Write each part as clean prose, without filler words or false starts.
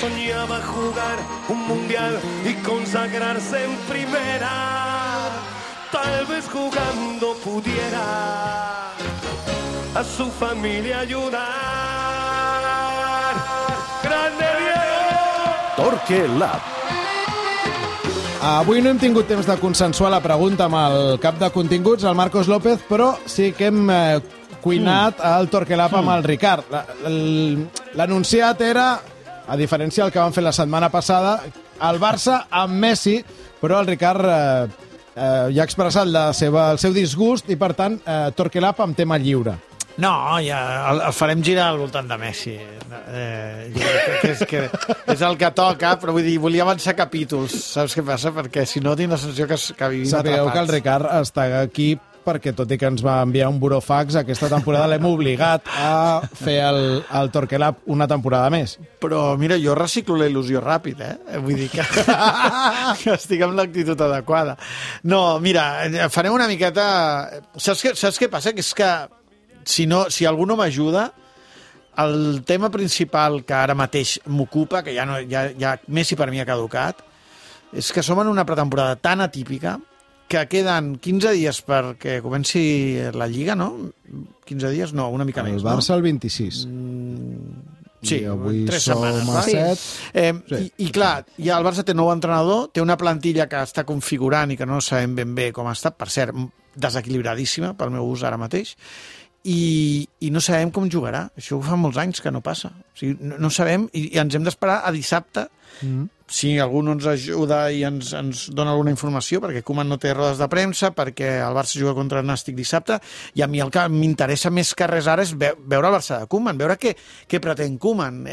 soñaba jugar un mundial y consagrarse en primera. Tal vez jugando pudiera a su familia ayudar. ¡Grande Diego! Torque Lab. Avui no hem tingut temps de consensuar la pregunta amb el cap de continguts, el Marcos López, però sí que hem cuinat el Torque Lab amb el Ricard. L'anunciat era, a diferència del que van fer la setmana passada, el Barça amb Messi, però el Ricard ja ha expressat el seu disgust i, per tant, Torque Lab amb tema lliure. No, ja el farem girar al voltant de Messi. Jo crec que és el que toca, però vull dir, volia avançar capítols, saps què passa? Perquè si no tinc la sensació que vivim atrapats. Sapigueu que el Ricard està aquí perquè, tot i que ens va enviar un burofax, aquesta temporada l'hem obligat a fer el Torque Lab una temporada més. Però, mira, jo reciclo la il·lusió ràpid, Vull dir que estic amb l'actitud adequada. No, mira, farem una miqueta... Saps què passa? Que és que si algú no m'ajuda, el tema principal que ara mateix m'ocupa, que ja Messi per mi ha caducat, és que som en una pretemporada tan atípica que queden 15 dies perquè comenci la Lliga, no? 15 dies? No, una mica més. El Barça el 26. Sí, avui 3 som setmanes. a 7. I clar, ja el Barça té nou entrenador, té una plantilla que està configurant i que no sabem ben bé com està, per cert, desequilibradíssima pel meu ús ara mateix, i no sabem com jugarà. Això fa molts anys que no passa. O sigui, no sabem i ens hem d'esperar a dissabte si algú no ens ajuda i ens dona alguna informació, perquè Koeman no té rodes de premsa, perquè el Barça juga contra el Nàstic dissabte, i a mi el que m'interessa més que res ara és veure el Barça de Koeman, veure què pretén Koeman,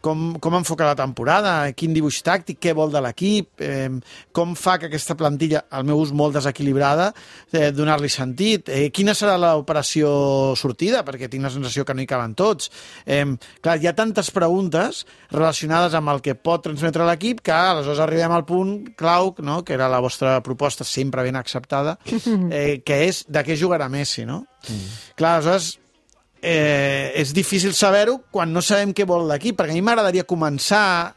com enfoca la temporada, quin dibuix tàctic, què vol de l'equip, com fa que aquesta plantilla, al meu ús molt desequilibrada, donar-li sentit, quina serà l'operació sortida, perquè tinc la sensació que no hi caben tots. Clar, hi ha tantes preguntes relacionades amb el que pot transmetre l'equip que aleshores arribem al punt clau, no?, que era la vostra proposta sempre ben acceptada, que és de què jugarà Messi, no? Clar, aleshores és difícil saber-ho quan no sabem què vol l'equip, perquè a mi m'agradaria començar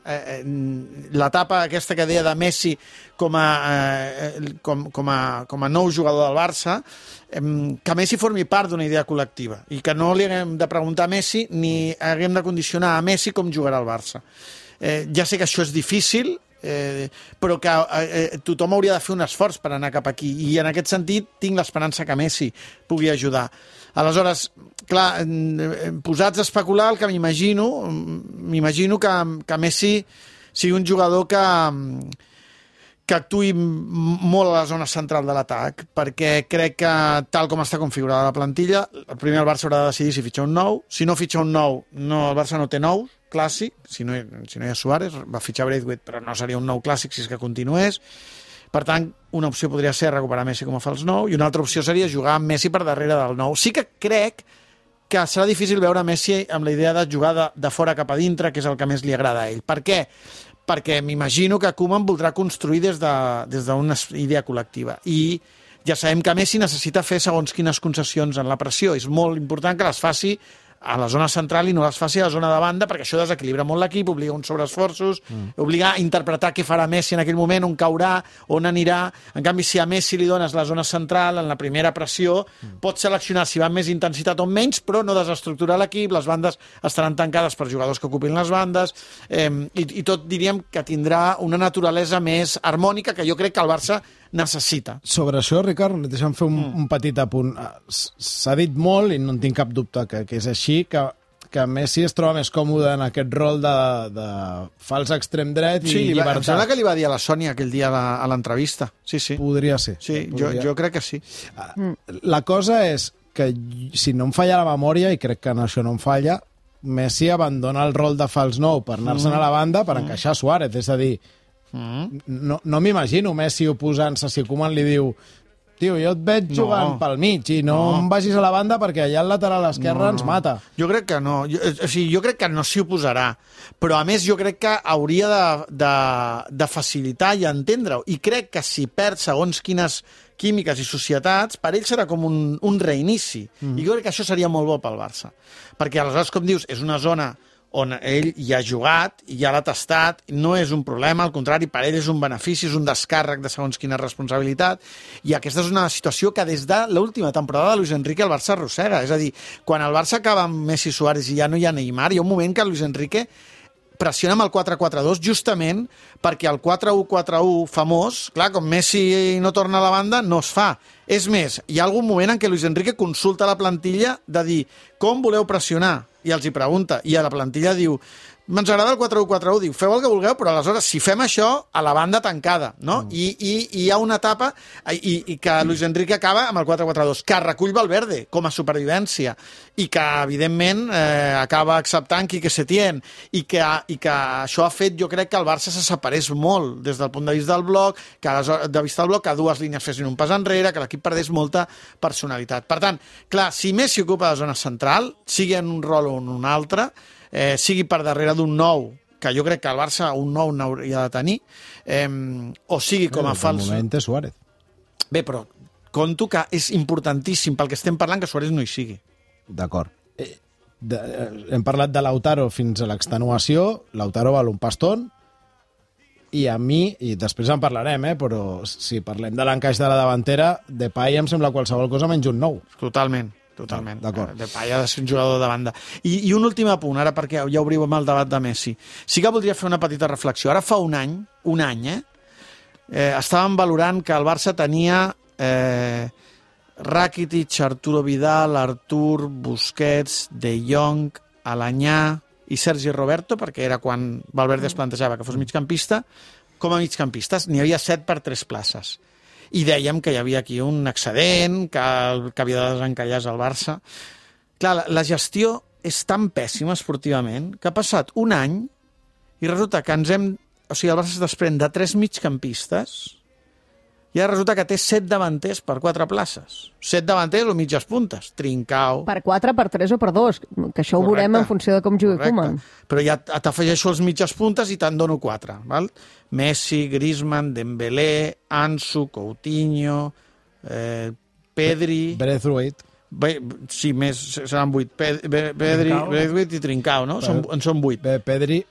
l'etapa aquesta que deia de Messi com a nou jugador del Barça, que Messi formi part d'una idea col·lectiva i que no li haguem de preguntar a Messi ni haguem de condicionar a Messi com jugarà el Barça. Ja sé que això és difícil, però que tothom hauria de fer un esforç per anar cap aquí, i en aquest sentit tinc l'esperança que Messi pugui ajudar. Aleshores, clar, posats a especular, el que m'imagino que Messi sigui un jugador que actuï molt a la zona central de l'atac, perquè crec que, tal com està configurada la plantilla, primer el Barça haurà de decidir si fitxa un nou. Si no fitxa un nou, el Barça no té nous clàssic, si no hi ha Suárez, va fitxar Braithwaite, però no seria un nou clàssic si és que continués. Per tant, una opció podria ser recuperar Messi com a fals nou, i una altra opció seria jugar amb Messi per darrere del nou. Sí que crec que serà difícil veure Messi amb la idea de jugar de fora cap a dintre, que és el que més li agrada a ell. Per què? Perquè m'imagino que Koeman voldrà construir des d'una idea col·lectiva. I ja sabem que Messi necessita fer segons quines concessions en la pressió. És molt important que les faci a la zona central i no les faci a la zona de banda, perquè això desequilibra molt l'equip, obliga uns sobreesforços, obliga a interpretar què farà Messi en aquell moment, on caurà, on anirà. En canvi, si a Messi li dones la zona central, en la primera pressió, pot seleccionar si va amb més intensitat o menys, però no desestructurar l'equip, les bandes estaran tancades per jugadors que ocupin les bandes, i tot diríem que tindrà una naturalesa més harmònica que jo crec que el Barça necessita. Sobre això, Ricard, deixa'm fer un petit apunt. S'ha dit molt, i no en tinc cap dubte que és així, que Messi es troba més còmode en aquest rol de fals extrem dret i llibertat. Em sembla que li va dir a la Sònia aquell dia a l'entrevista. Sí. Podria ser. Sí, jo crec que sí. La cosa és que, si no em falla la memòria, i crec que en això no em falla, Messi abandona el rol de fals nou per anar-se'n a la banda per encaixar Suárez. És a dir, no m'imagino Messi oposant-se si Koeman li diu: tio, jo et veig jugant pel mig i no em vagis a la banda perquè allà al lateral esquerre ens mata. Jo crec que no. Jo crec que no s'hi oposarà. Però, a més, jo crec que hauria de facilitar i entendre-ho. I crec que si perd segons quines químiques i societats, per ell serà com un reinici. I jo crec que això seria molt bo pel Barça. Perquè, aleshores, com dius, és una zona on ell hi ha jugat i ja l'ha tastat, no és un problema, al contrari, per ell és un benefici, és un descàrrec de segons quina responsabilitat, i aquesta és una situació que des de l'última temporada de Luis Enrique el Barça arrossega, és a dir, quan el Barça acaba amb Messi i Suárez i ja no hi ha Neymar, hi ha un moment que Luis Enrique pressiona amb el 4-4-2 justament perquè el 4-1-4-1 famós, clar, com Messi no torna a la banda, no es fa. És més, hi ha algun moment en què Luis Enrique consulta la plantilla de dir com voleu pressionar? I els hi pregunta, i a la plantilla diu ens agrada el 4-1-4-1, diu, feu el que vulgueu, però aleshores, si fem això, a la banda tancada, no? I hi ha una etapa i que Luis Enrique acaba amb el 4-4-2, que recull Valverde com a supervivència, i que, evidentment, acaba acceptant Quique Setién, i que això ha fet, jo crec, que el Barça se separés molt des del punt de vista del bloc, que dues línies fessin un pas enrere, que l'equip perdés molta personalitat. Per tant, clar, si Messi ocupa la zona central, sigui en un rol o en un altre, sigui per darrere d'un nou, que jo crec que el Barça un nou n'hauria de tenir, o sigui com a fals... De moment és Suárez. Bé, però conto que és importantíssim pel que estem parlant que Suárez no hi sigui. D'acord. Hem parlat de Lautaro fins a l'extenuació, Lautaro val un pastón, i a mi, i després en parlarem, però si parlem de l'encaix de la davantera, Depay em sembla qualsevol cosa menys un nou. Totalment. Depay ha de ser un jugador de banda. I un últim apunt, ara perquè ja obrim el debat de Messi. Sí que voldria fer una petita reflexió. Ara fa un any, estàvem valorant que el Barça tenia Rakitic, Arturo Vidal, Artur, Busquets, De Jong, Alanyà i Sergi Roberto, perquè era quan Valverde es plantejava que fos migcampista, com a migcampistes. N'hi havia 7 per 3 places. I dèiem que hi havia aquí un excedent, que havia de desencallar el Barça. Clar, la gestió és tan pèssima esportivament que ha passat un any i resulta que el Barça es desprèn de 3 migcampistes i ara resulta que té 7 davanters per 4 places. 7 davanters o mitges puntes. Trincao... Per 4, per 3 o per 2, que això ho veurem en funció de com jugui Koeman. Però ja t'afegeixo els mitges puntes i te'n dono 4. Val? Messi, Griezmann, Dembélé, Ansu, Coutinho, Pedri... Braithwaite. Sí, més, seran 8. Braithwaite i Trincao, no? En són 8. Pedri...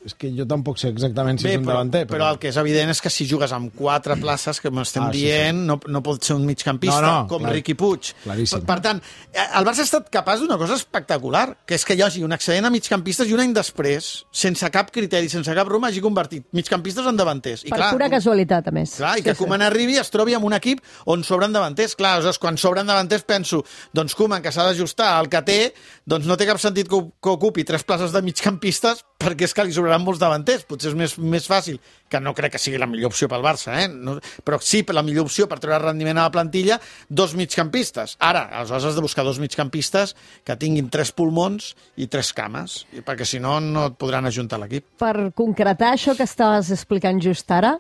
És que jo tampoc sé exactament si és un davanter. Però el que és evident és que si jugues amb 4 places, que m'estem dient, no pot ser un migcampista com Riqui Puig. Claríssim. Per tant, el Barça ha estat capaç d'una cosa espectacular, que és que hi hagi un excedent a migcampistes i un any després, sense cap criteri, sense cap broma, hagi convertit migcampistes en davanters. Per pura casualitat, a més. Clar, i que Koeman arribi i es trobi amb un equip on sobren davanters. Clar, aleshores, quan sobren davanters penso, doncs Koeman, que s'ha d'ajustar al que té, doncs no té cap sentit que ocupi 3 places de migcampistes perquè és que li sobraran molts davanters. Potser és més fàcil, que no crec que sigui la millor opció pel Barça, no, però sí, la millor opció per treure rendiment a la plantilla, 2 migcampistes. Ara, aleshores has de buscar 2 migcampistes que tinguin 3 pulmons i 3 cames, perquè si no, no et podran ajuntar l'equip. Per concretar això que estaves explicant just ara,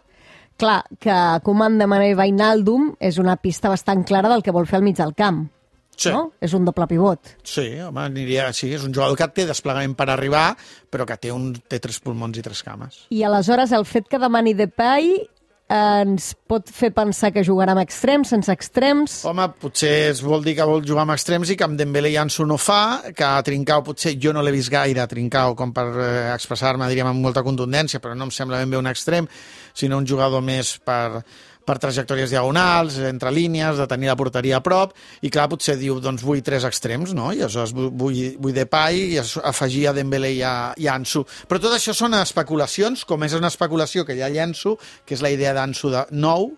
clar, que Koeman demana Wijnaldum és una pista bastant clara del que vol fer al mig del camp. Sí. No? És un doble pivot. Sí, home, sí, és un jugador que té desplegament per arribar, però que té 3 pulmons i 3 cames. I aleshores el fet que demani Depay ens pot fer pensar que jugarà amb extrems, sense extrems? Home, potser es vol dir que vol jugar amb extrems i que amb Dembélé i Ansu no fa, que a Trincao potser jo no l'he vist gaire, Trincao, com per expressar-me, diríem, amb molta contundència, però no em sembla ben bé un extrem, sinó un jugador més per trajectòries diagonals, entre línies, de tenir la porteria a prop, i clar, potser diu, doncs vull 3 extrems, no? I aleshores vull Depay i afegir a Dembélé i a Ansu. Però tot això són especulacions, com és una especulació que ja llenço, que és la idea d'Ansu de nou,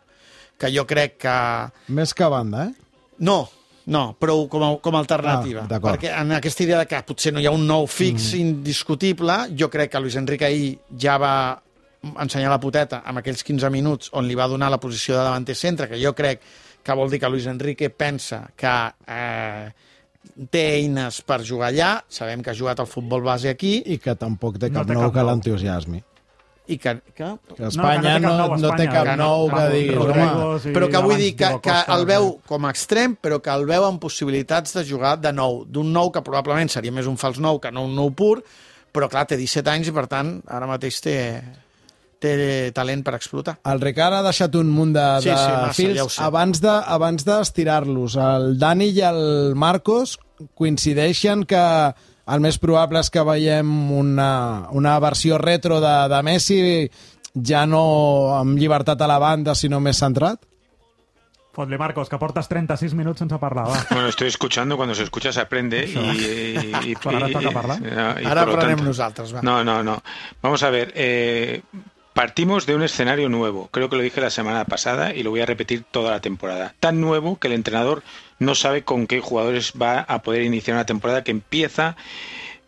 que jo crec que... Més que banda, No, però com a alternativa. Perquè en aquesta idea de que potser no hi ha un nou fix indiscutible, jo crec que Luis Enrique ahir ja va ensenyar la poteta amb aquells 15 minuts on li va donar la posició de davanter centre, que jo crec que vol dir que Luis Enrique pensa que té eines per jugar allà, sabem que ha jugat al futbol base aquí. I que tampoc té cap nou que l'entusiasmi. I que Espanya no té cap nou que diguis, home. Però que vull dir que el veu com a extrem, però que el veu amb possibilitats de jugar de nou, d'un nou que probablement seria més un fals nou que no un nou pur, però clar, té 17 anys i per tant ara mateix té talent per explotar. El Ricard ha deixat un munt de fils. Abans d'estirar-los, el Dani i el Marcos coincideixen que el més probable és que veiem una versió retro de Messi, ja no amb llibertat a la banda, sinó més centrat? Fot-li, Marcos, que portes 36 minuts sense parlar, va. Bueno, estoy escuchando, cuando se escucha se aprende Però ara toca parlar. Ara aprenem nosaltres, va. No. Vamos a ver, partimos de un escenario nuevo. Creo que lo dije la semana pasada y lo voy a repetir toda la temporada. Tan nuevo que el entrenador no sabe con qué jugadores va a poder iniciar una temporada que empieza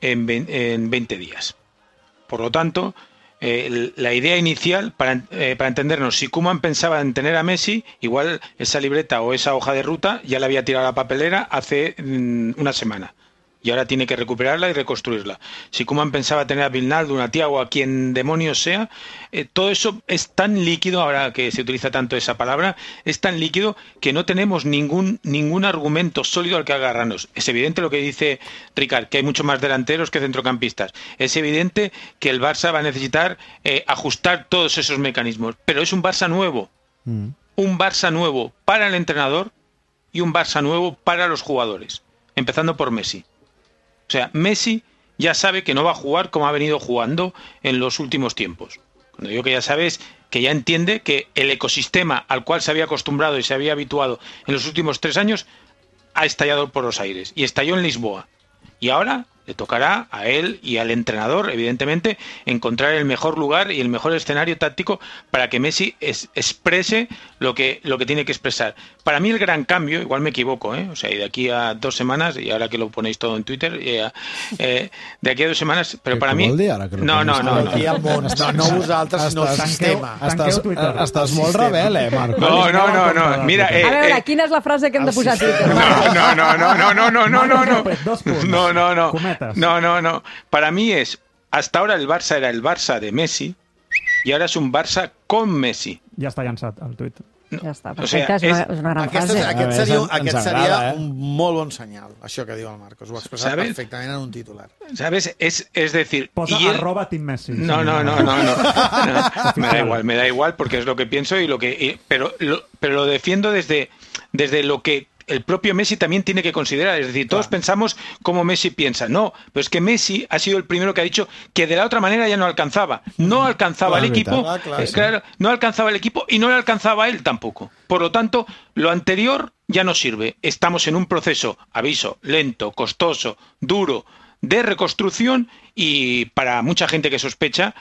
en 20 días. Por lo tanto, la idea inicial, para entendernos, si Koeman pensaba en tener a Messi, igual esa libreta o esa hoja de ruta ya la había tirado a la papelera hace una semana. Y ahora tiene que recuperarla y reconstruirla. Si Koeman pensaba tener a Wijnaldum, a Thiago, a quien demonios sea, todo eso es tan líquido, ahora que se utiliza tanto esa palabra, es tan líquido que no tenemos ningún argumento sólido al que agarrarnos. Es evidente lo que dice Ricard, que hay mucho más delanteros que centrocampistas. Es evidente que el Barça va a necesitar ajustar todos esos mecanismos. Pero es un Barça nuevo. Un Barça nuevo para el entrenador y un Barça nuevo para los jugadores. Empezando por Messi. O sea, Messi ya sabe que no va a jugar como ha venido jugando en los últimos tiempos. Cuando digo que ya sabes, que ya entiende que el ecosistema al cual se había acostumbrado y se había habituado en los últimos 3 años ha estallado por los aires y estalló en Lisboa. Y ahora le tocará a él y al entrenador, evidentemente, encontrar el mejor lugar y el mejor escenario táctico para que Messi exprese lo que tiene que expresar. Para mí el gran cambio, igual me equivoco, o sea, y de aquí a 2 semanas, y ahora que lo ponéis todo en Twitter, de aquí a 2 semanas, pero para mí... No. No vosaltres, sinó el sistema. Estàs molt rebel, Marcos? No. Mira... A veure, quina és la frase que hem de posar a Twitter? No. Para mí hasta ahora el Barça era el Barça de Messi y ahora es un Barça con Messi. Ja està llançat el tuit. Ja està, perfecte, és una gran frase. Aquest seria un molt bon senyal, això que diu el Marcos. Ho ha expressat perfectament en un titular. ¿Sabes? Es decir... Posa @Team Messi. No. Me da igual porque es lo que pienso pero lo defiendo desde lo que el propio Messi también tiene que considerar. Es decir, todos pensamos cómo Messi piensa. No, pero es que Messi ha sido el primero que ha dicho que de la otra manera ya no alcanzaba. No alcanzaba el equipo. No alcanzaba el equipo y no le alcanzaba a él tampoco. Por lo tanto, lo anterior ya no sirve. Estamos en un proceso, aviso, lento, costoso, duro, de reconstrucción y para mucha gente que sospecha,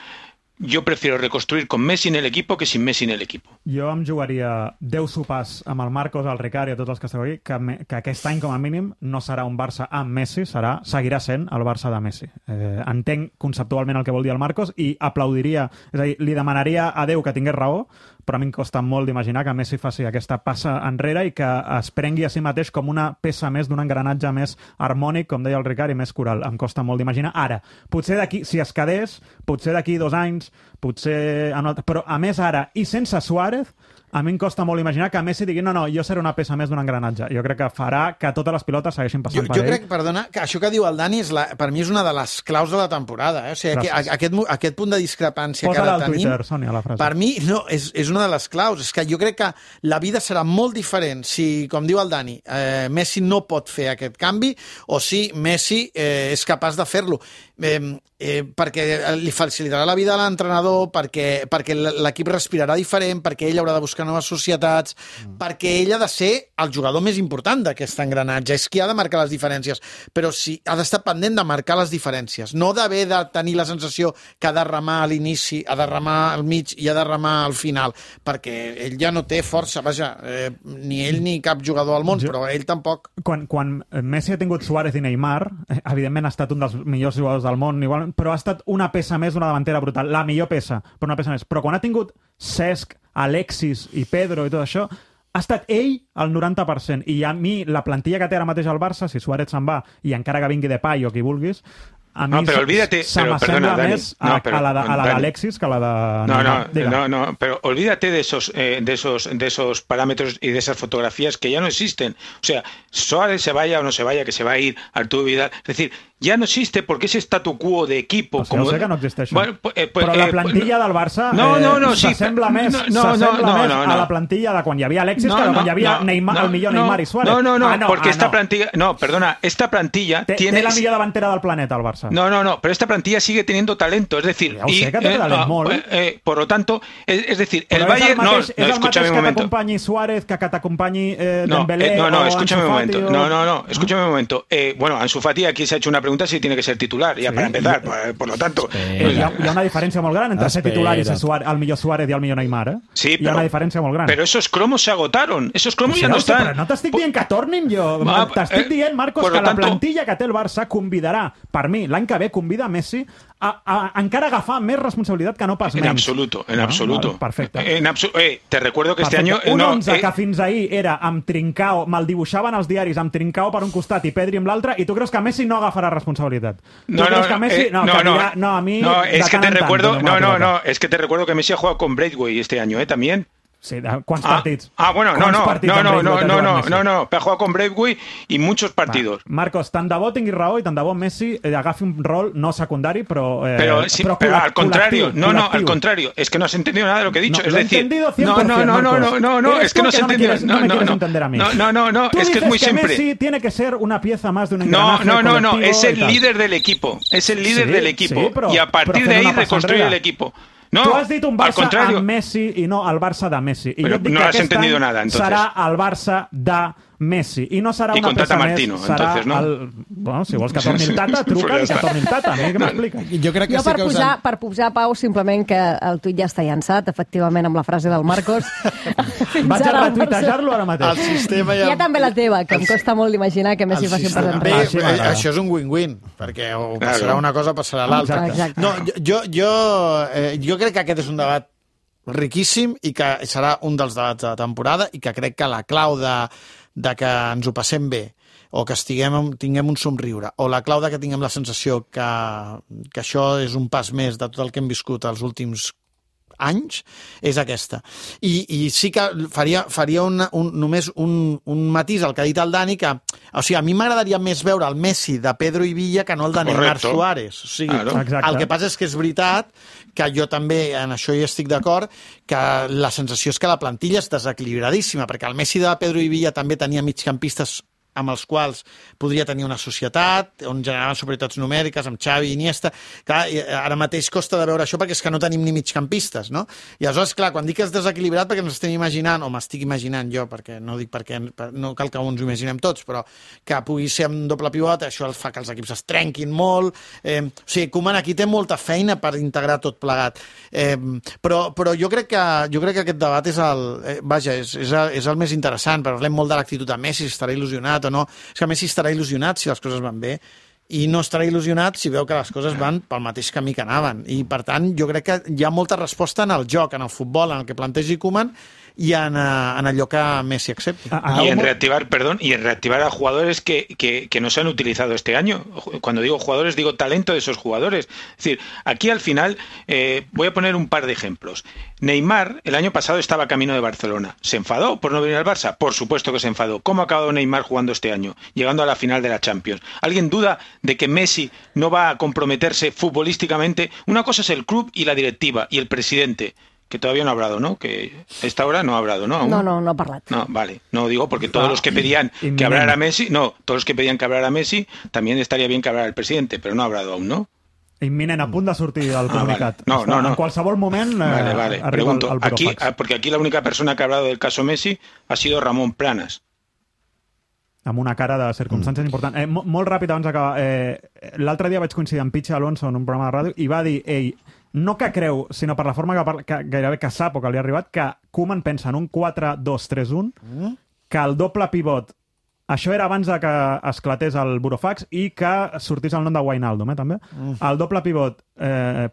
jo prefiero reconstruir con Messi en el equipo que sin Messi en el equipo. Jo em jugaria 10 sopars amb el Marcos, el Ricard i a tots els que esteu aquí, que aquest any, com a mínim, no serà un Barça amb Messi, seguirà sent el Barça de Messi. Entenc conceptualment el que vol dir el Marcos i aplaudiria, és a dir, li demanaria a Déu que tingués raó, però a mi em costa molt d'imaginar que Messi faci aquesta passa enrere i que es prengui a si mateix com una peça més d'un engranatge més harmònic, com deia el Ricard, i més coral. Em costa molt d'imaginar. Ara, potser d'aquí, si es quedés, potser d'aquí 2 anys, potser... Però a més ara, i sense Suárez, a mi em costa molt imaginar que Messi digui no, jo seré una peça més d'un engranatge. Jo crec que farà que totes les pilotes segueixin passant per ell. Jo crec, perdona, que això que diu el Dani per mi és una de les claus de la temporada. O sigui, aquest punt de discrepància que ara tenim... Posa-la al Twitter, Sònia, la frase. Per mi, no, és una de les claus. És que jo crec que la vida serà molt diferent si, com diu el Dani, Messi no pot fer aquest canvi o si Messi és capaç de fer-lo. Perquè li facilitarà la vida a l'entrenador, perquè l'equip respirarà diferent, perquè ell haurà de buscar noves societats, perquè ell ha de ser el jugador més important d'aquest engranatge, és qui ha de marcar les diferències, però sí, ha d'estar pendent de marcar les diferències, no d'haver de tenir la sensació que ha de remar a l'inici, ha de remar al mig i ha de remar al final, perquè ell ja no té força, vaja, ni ell ni cap jugador al món, però ell tampoc. Quan Messi ha tingut Suárez i Neymar, evidentment ha estat un dels millors jugadors del món, igual, però ha estat una peça més d'una davantera brutal, la millor peça, però una peça més. Però quan ha tingut Cesc, Alexis i Pedro i tot això, ha estat ell el 90%. I a mi, la plantilla que té ara mateix al Barça, si Suárez se'n va i encara que vingui Depay o qui vulguis, a mi s'assembla més a la d'Alexis que a la de... No, pero olvídate de esos parámetros y de esas fotografías que ya no existen. O sea, Suárez se vaya o no se vaya, que se va a ir Arturo Vidal. Es decir, ya no existe porque ese statu quo de equipo... Pues jo sé que no existeix. Bueno, però la plantilla del Barça s'assembla més a la plantilla de quan hi havia Alexis que de quan hi havia el millor Neymar i Suárez. Porque esta plantilla... No, perdona, esta plantilla tiene... Té la millor davantera del planeta, el Barça. No, pero esta plantilla sigue teniendo talento, es decir... Ja ho sé que té talent molt. Por lo tanto, es decir, el Bayern... És el mateix que t'acompanyi Suárez, que t'acompanyi Dembélé o escúchame un momento. Escúchame un momento. Bueno, Ansu Fati aquí se ha hecho una pregunta si tiene que ser titular, ya para empezar, por lo tanto... Hi ha una diferència molt gran entre ser titular i ser el millor Suárez i el millor Neymar, eh? Sí, hi ha una diferència molt gran. Pero esos cromos se agotaron, esos cromos ya no están. Però no t'estic dient que tornin jo. T'estic dient, Marcos, que la plantilla que té el Barça convidarà, per mi, l'any que ve convida Messi a encara agafar més responsabilitat que no pas menys. En absoluto. Perfecte. Te recuerdo que este año... Un 11 que fins ahir era amb Trincao, me'l dibuixaven els diaris amb Trincao per un costat i Pedri amb l'altre, i tu creus que Messi no agafarà responsabilitat? Es que te recuerdo que Messi ha jugado con Braithwaite este año, también. Sí, ¿cuántos partidos? Ha jugado con Braithwaite y muchos partidos. Marcos, tant de bo tingui raó i tant de bo Messi agafi un rol no secundari, però al contrario, al contrario, es que no has entendido nada de lo que he dicho, es decir, es que no se ha entendido. Es que es muy simple. Messi tiene que ser una pieza más de un engranaje colectivo. No, es el líder del equipo, y a partir de ahí reconstruye el equipo. No, tu has dit un Barça amb Messi i no el Barça de Messi. I però jo et dic no que has entendido nada, entonces. Serà el Barça de Messi. I no serà una peça Martino, més. Serà entonces, ¿no? Bueno, si vols que torni el Tata, truca i que torni el Tata. A mi què m'explica? Jo crec que per posar Pau, simplement que el tuit ja està llançat, efectivament, amb la frase del Marcos. Vaig a retuitejar-lo ara mateix. El sistema ja... Hi ha també la teva, que em costa molt d'imaginar que Messi faci un pas enrere. Això és un win-win, perquè o passarà una cosa o passarà l'altra. No, jo crec que aquest és un debat riquíssim i que serà un dels debats de la temporada i que crec que la clau de que ens ho passem bé o que tinguem un somriure o la clau de que tinguem la sensació que això és un pas més de tot el que hem viscut els últims anys, és aquesta. I sí que faria només un matís al que ha dit el Dani, que o sigui, a mi m'agradaria més veure el Messi de Pedro i Villa que no el de Neymar Suárez. O sigui, el que passa és que és veritat que jo també en això hi estic d'acord, que la sensació és que la plantilla és desequilibradíssima, perquè el Messi de Pedro i Villa també tenia migcampistes amb els quals podria tenir una societat, on generaven superioritats numèriques, amb Xavi i Iniesta. Clar, ara mateix costa de veure això perquè és que no tenim ni migcampistes, no? I aleshores, clar, quan dic que és desequilibrat perquè ens estem imaginant, o m'estic imaginant jo, perquè no dic perquè no cal que ens ho imaginem tots, però que pugui ser amb doble pivot, això fa que els equips es trenquin molt. O sigui, Koeman aquí té molta feina per integrar tot plegat. Però jo crec que aquest debat és el més interessant. Parlem molt de l'actitud de Messi, si estarà il·lusionat o no. És que Messi estarà il·lusionat si les coses van bé i no estarà il·lusionat si veu que les coses van pel mateix camí que anaven. I, per tant, jo crec que hi ha molta resposta en el joc, en el futbol, en el que plantegi Koeman y en allò que Messi accepti. Y en reactivar a jugadores que no se han utilizado este año. Cuando digo jugadores, digo talento de esos jugadores. Es decir, aquí al final voy a poner un par de ejemplos. Neymar el año pasado estaba camino de Barcelona. ¿Se enfadó por no venir al Barça? Por supuesto que se enfadó. ¿Cómo ha acabado Neymar jugando este año? Llegando a la final de la Champions. ¿Alguien duda de que Messi no va a comprometerse futbolísticamente? Una cosa es el club y la directiva y el presidente, que todavía no ha hablado, ¿no? Que a esta hora no ha hablado, ¿no? ¿Aún? No ha parlat. No, vale. No digo porque todos los que pedían que hablara Messi, todos los que pedían que hablara Messi, también estaría bien que hablara el presidente, pero no ha hablado aún, ¿no? Imminent, a punt de sortir el comunicat. Vale. No. En qualsevol moment vale. Pregunto, el aquí, porque aquí la única persona que ha hablado del caso Messi ha sido Ramón Planas. Amb una cara de circumstàncies important. Molt ràpid abans d'acabar. L'altre dia vaig coincidir amb Pichi Alonso en un programa de ràdio i va dir, no que creu, sinó per la forma que gairebé que sap o que li ha arribat, que Koeman pensa en un 4-2-3-1, que el doble pivot, això era abans de que esclatés el burofax i que sortís el nom de Wijnaldum, també. El doble pivot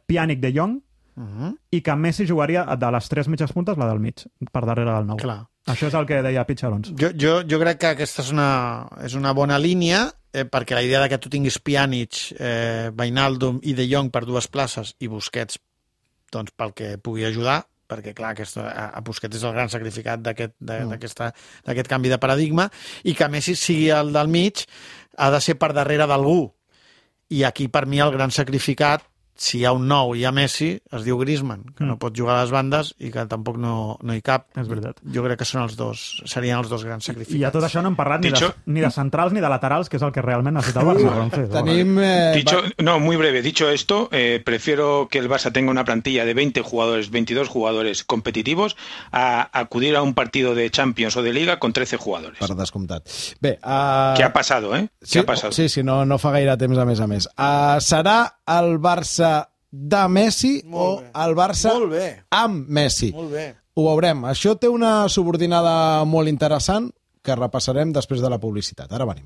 Pjanic de Jong i que Messi jugaria de les tres mitges puntes, la del mig, per darrere del nou. Clar. Això és el que deia Pichi Alonso. Jo crec que aquesta és una bona línia, perquè la idea de que tu tinguis Pjanic, Wijnaldum i De Jong per dues places i Busquets doncs, pel que pugui ajudar, perquè clar, a Busquets és el gran sacrificat d'aquest canvi de paradigma, i que Messi sigui el del mig ha de ser per darrere d'algú. i aquí per mi el gran sacrificat, si hi ha un nou i hi ha Messi, es diu Griezmann, que no pot jugar a les bandes i que tampoc no hi cap. És veritat. Jo crec que són serien els dos grans sacrificats. I a tot això no hem parlat Dicho- ni de centrals ni de laterals, que és el que realment necessita el Barça. Francesc. Tenim... Muy breve. Dicho esto, prefiero que el Barça tenga una plantilla de 20 jugadores, 22 jugadores competitivos, a acudir a un partido de Champions o de Liga con 13 jugadores. Per descomptat. Bé, ¿Qué ha pasado, eh? ¿Qué ha pasado? Sí, no fa gaire temps a més. Serà el Barça de Messi Molt o bé. el Barça Molt bé. amb Messi? Molt bé. Ho veurem. Això té una subordinada molt interessant que repassarem després de la publicitat. Ara venim.